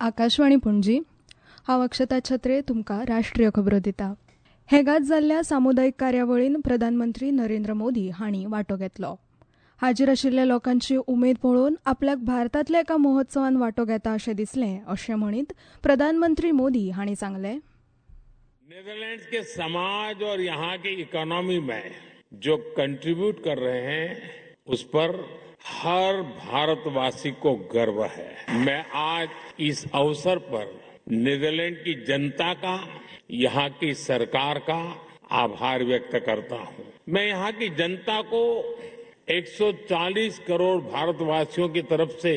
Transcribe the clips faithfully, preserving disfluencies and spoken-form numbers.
आकाशवाणी पणजी, हांव अक्षता छत्रे तुमकां राष्ट्रीय खबरो दिता. हेगात जाल्ल्या सामुदायिक कार्यावळीन प्रधानमंत्री नरेंद्र मोदी हांणी वांटो घेतलो. हाजीर आशिल्ल्या लोकांची उमेद पळोवन आपल्याक भारतांतल्या एका महोत्सवान वांटो घेता अशें दिसलें अशें म्हणीत प्रधानमंत्री मोदी हांणी सांगलें, नेदरलैंड्स के समाज और यहाँ की इकोनॉमी में जो कंट्रीब्यूट कर रहे हैं उस पर हर भारतवासी को गर्व है. मैं आज इस अवसर पर नीदरलैंड की जनता का, यहाँ की सरकार का आभार व्यक्त करता हूँ. मैं यहाँ की जनता को एक सौ चालीस करोड़ भारतवासियों की तरफ से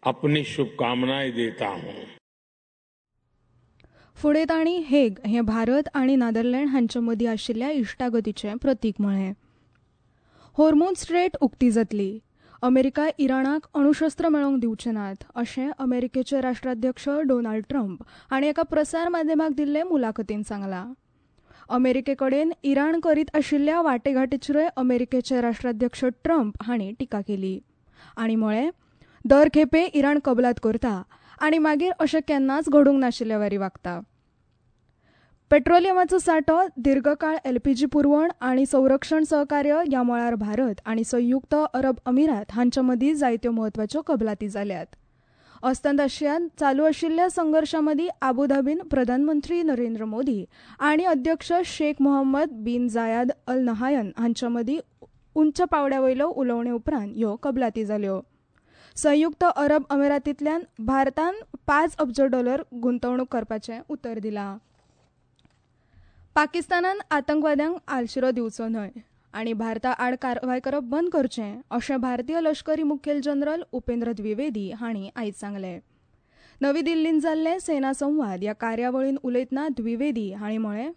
अपनी शुभकामनाएं देता हूँ. फुडें तांणी हेग हें भारत आनी नादरलँड हांचे मदीं आशिल्ल्या इश्टागतीचें प्रतीक म्हळें. होर्मुझ स्ट्रेट उक्ती जातली, अमेरिका इराणाक अणुशस्त्र मेळोवंक दिवचे नात अशें अमेरिकेचे राष्ट्राध्यक्ष डोनाल्ड ट्रम्प हांणी एका प्रसार माध्यमाक दिल्ले मुलाखतीन सांगलां. अमेरिके कडेन इराण करीत आशिल्ल्या वाटेघाटीचेरूय अमेरिकेचे राष्ट्राध्यक्ष ट्रम्प हांणी टिका केली आनी म्हळें, दर खेपे इराण कबलात करता आनी मागीर अशें केन्नाच घडूंक नाशिल्ले वरी वागता. पेट्रोलियमाचो सांठो, दीर्घकाळ एलपीजी पुरवण आनी संरक्षण सहकार्य ह्या मळार भारत आनी संयुक्त अरब अमिरात हांचे मदीं जायत्यो म्हत्वाच्यो कबलाती जाल्यात. अस्तंत आशियांत चालू आशिल्ल्या संघर्शा मदीं आबुधाबीन प्रधानमंत्री नरेंद्र मोदी आनी अध्यक्ष Sheikh Mohammed bin Zayed Al Nahyan हांचे मदीं उंच पांवड्या वयल्यो उलोवणे उपरांत ह्यो कबलाती जाल्यो. संयुक्त अरब अमिरातींतल्यान भारतान पांच अब्ज डॉलर गुंतवणूक करपाचें उतर दिलां. पाकिस्तानान आतंकवाद्यांक आलशिरो दिवचो न्हय आनी भारता आड कारवाय करप बंद करचें अशें भारतीय लश्करी मुखेल जनरल उपेंद्र द्विवेदी हांणी आयज सांगलें. नवी दिल्लींत जाल्ले सेना संवाद ह्या कार्यावळीन उलयतना द्विवेदी हांणी म्हळें,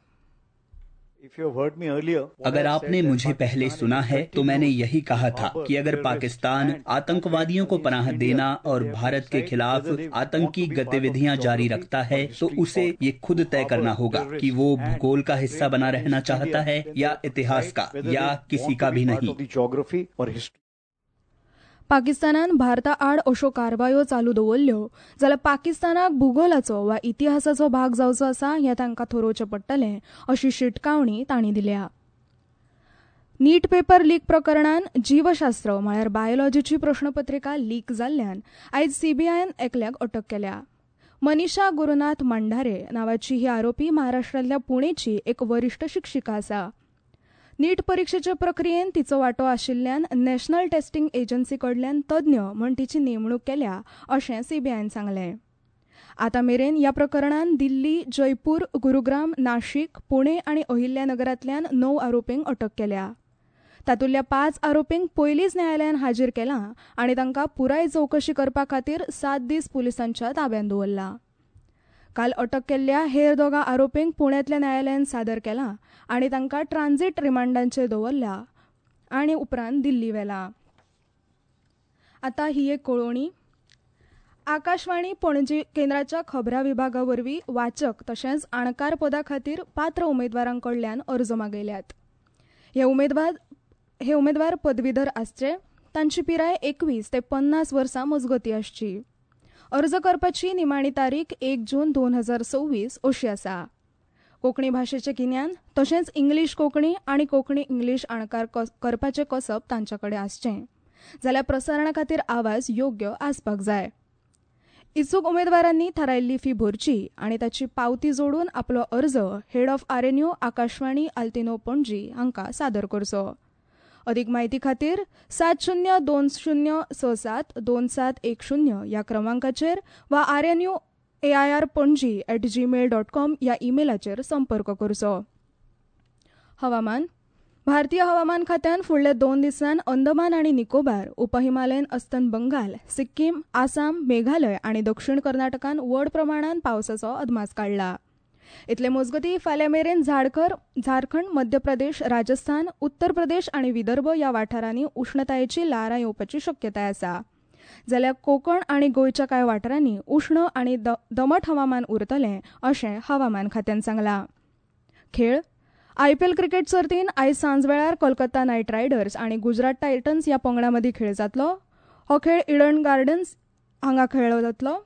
अगर आपने मुझे पहले सुना है तो मैंने यही कहा था कि अगर पाकिस्तान आतंकवादियों को पनाह देना और भारत के खिलाफ आतंकी गतिविधियां जारी रखता है तो उसे ये खुद तय करना होगा कि वो भूगोल का हिस्सा बना रहना चाहता है या इतिहास का या किसी का भी नहीं. पाकिस्तानान भारता आड अश्यो कारवायो चालू दवरल्यो जाल्यार पाकिस्तानाक भुगोलाचो वा इतिहासाचो भाग जावचो आसा हें तांकां थारोवचें पडटलें अशी शिटकावणी तांणी दिल्या. नीट पेपर लीक प्रकरणान जीवशास्त्र म्हळ्यार बायोलॉजीची प्रश्नपत्रिका लीक जाल्ल्यान आयज सीबीआयन एकल्याक अटक केल्या. मनीषा गुरुनाथ मांढारे नांवाची ही आरोपी महाराष्ट्रांतल्या पुणेची एक वरिश्ठ शिक्षिका आसा. नीट परिक्षेचे प्रक्रियेन तिचो वांटो आशिल्ल्यान नॅशनल टेस्टिंग एजन्सी कडल्यान तज्ञ म्हूण तिची नेमणूक केल्या अशें सीबीआयन सांगलें. आतां मेरेन ह्या प्रकरणान दिल्ली, जयपूर, गुरुग्राम, नाशिक, पुणे आनी अहिल्यानगरांतल्यान णव आरोपींक अटक केल्या. तातूंतल्या पांच आरोपींक पयलींच न्यायालयान हाजीर केलां आनी तांकां पुराय चवकशी करपा खातीर सात दीस पुलिसांच्या ताब्यांत दवरला. काल अटक केल्ल्या हेर दोगां आरोपींक पुण्यांतल्या न्यायालयान सादर केलां आनी तांकां ट्रान्झीट रिमांडांचेर दवरला आनी उपरांत दिल्ली व्हेला. आतां ही एक कळोवणी. आकाशवाणी पणजी केंद्राच्या खबरां विभागा वरवीं वाचक तशेंच अणकार पदा खातीर पात्र उमेदवारां कडल्यान अर्ज मागयल्यात. हे उमेदवार हे उमेदवार पदवीधर आसचे, तांची पिराय एकवीस ते पन्नास वर्सां मजगती आसची. अर्ज करपाची निमाणी तारीख एक जून दोन हजार सव्वीस अशी आसा. कोंकणी भाशेचें गिन्यान तशेंच इंग्लीश कोंकणी आनी कोंकणी इंग्लीश अणकार करपाचें कसब तांचे कडेन आसचें जाल्यार प्रसारणा खातीर आवाज योग्य आसपाक जाय. इत्सूक उमेदवारांनी थारायल्ली फी भरची आनी ताची पावती जोडून आपलो अर्ज head of R N U Akashvani Altinho Panaji हांकां सादर करचो. अदीक म्हायती खातीर सात शून्य दोन शून्य स सात दोन सात एक शून्य ह्या क्रमांकाचेर वा R N U A I R Panaji at Gmail dot com ह्या ईमेलाचेर संपर्क करचो. हवामान. भारतीय हवामान खात्यान फुडल्या दोन दिसांत अंदमान आनी निकोबार, उपहिमालयन अस्तंत बंगाल, सिक्कीम, आसाम, मेघालय आनी दक्षिण कर्नाटकान व्हड प्रमाणान पावसाचो अदमास काडला. इतले मजगती फाल्यां मेरेन झाडखर झारखंड, मध्य प्रदेश, राजस्थान, उत्तर प्रदेश आनी विदर्भ ह्या वाठारांनी उश्णतायेची ल्हारां येवपाची शक्यताय आसा. जाल्यार कोंकण आनी गोंयच्या कांय वाठारांनी उश्ण आनी दमट हवामान उरतलें अशें हवामान खात्यान सांगलां. खेळ. आयपीएल क्रिकेट सर्तीन आयज सांजवेळार कोलकाता नायट रायडर्स आनी गुजरात टायटन्स ह्या पंगडां मदीं खेळ जातलो. हो खेळ इडन गार्डन्स हांगा खेळ्ळो जातलो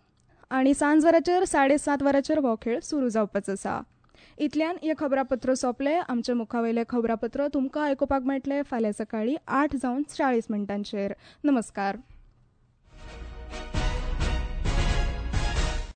आनी सांज वराचेर साडे सात वरांचेर हो खेळ सुरू जावपाचो आसा. इतल्यान हें खबरापत्र सोंपलें. आमचे मुखावयलें खबरापत्र तुमकां आयकुपाक मेळटलें फाल्यां सकाळीं आठ जावन चाळीस मिनटांचेर. नमस्कार.